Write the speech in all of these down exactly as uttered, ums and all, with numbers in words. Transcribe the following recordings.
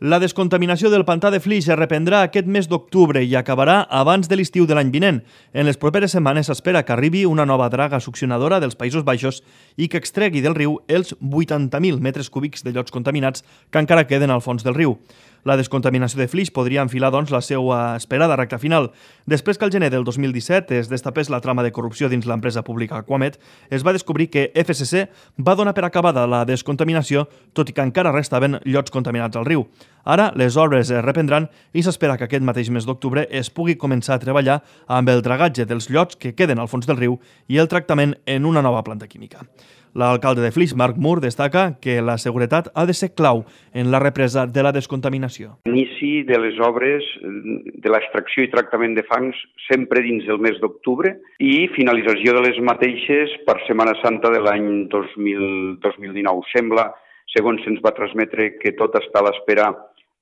La descontaminació del pantà de Flix es reprendrà aquest mes d'octubre i acabarà abans de l'estiu de l'any vinent. En les properes setmanes s'espera que arribi una nova draga succionadora dels Països Baixos i que extregui del riu els vuitanta mil metres cúbics de llots contaminats que encara queden al fons del riu. La descontaminació de Flix podria enfilar, doncs, la seva esperada recta final. Després que el gener del dos mil disset es destapés la trama de corrupció dins l'empresa pública Aquamed, es va descobrir que F C C va donar per acabada la descontaminació, tot i que encara restaven llots contaminats al riu. Ara les obres es reprendran i s'espera que aquest mateix mes d'octubre es pugui començar a treballar amb el dragatge dels llots que queden al fons del riu i el tractament en una nova planta química. L'alcalde de Flix, Marc Mur, destaca que la seguretat ha de ser clau en la represa de la descontaminació. Inici de les obres de l'extracció i tractament de fangs sempre dins del mes d'octubre i finalització de les mateixes per Setmana Santa de l'any dos mil dinou. Sembla, segons se'ns va transmetre, que tot està a l'espera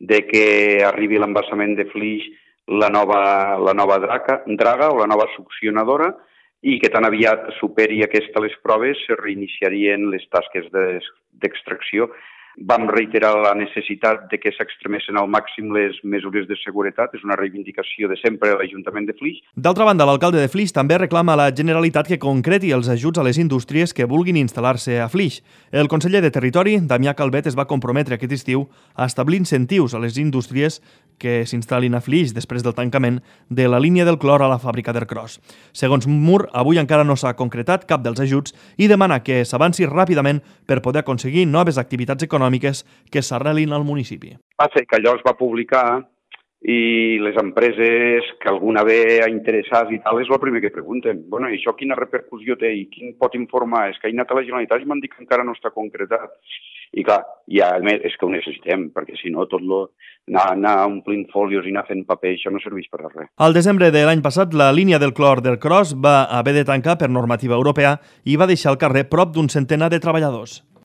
de que arribi l'embassament de Flix la nova, la nova draga, draga o la nova succionadora, i que tan aviat superi aquesta les proves se reiniciarien les tasques d'extracció. Vam reiterar la necessitat de que s'extremessin al màxim les mesures de seguretat, és una reivindicació de sempre de l'Ajuntament de Flix. D'altra banda, l'alcalde de Flix també reclama a la Generalitat que concreti els ajuts a les indústries que vulguin instal·lar-se a Flix. El conseller de Territori, Damià Calvet, es va comprometre aquest estiu a establir incentius a les indústries que s'instal·lin a Flix després del tancament de la línia del clor a la fàbrica d'Ercros. Segons Mur, avui encara no s'ha concretat cap dels ajuts i demana que s'avanci ràpidament per poder aconseguir noves activitats econòmiques que s'arrelin al municipi. Va ser que allò es va publicar i les empreses que alguna ve a interessar i tal és el primer que pregunten. Bueno, i això quina repercussió té i quin pot informar? És que he anat a la Generalitat i m'han dit que encara no està concretat. I clar, ja és que ho necessitem, perquè si no tot lo, anar, anar omplint fòlios i anar fent paper, això no serveix per a res. Al desembre de l'any passat, la línia del clor d'Ercros va haver de tancar per normativa europea i va deixar al carrer prop d'un centenar de treballadors.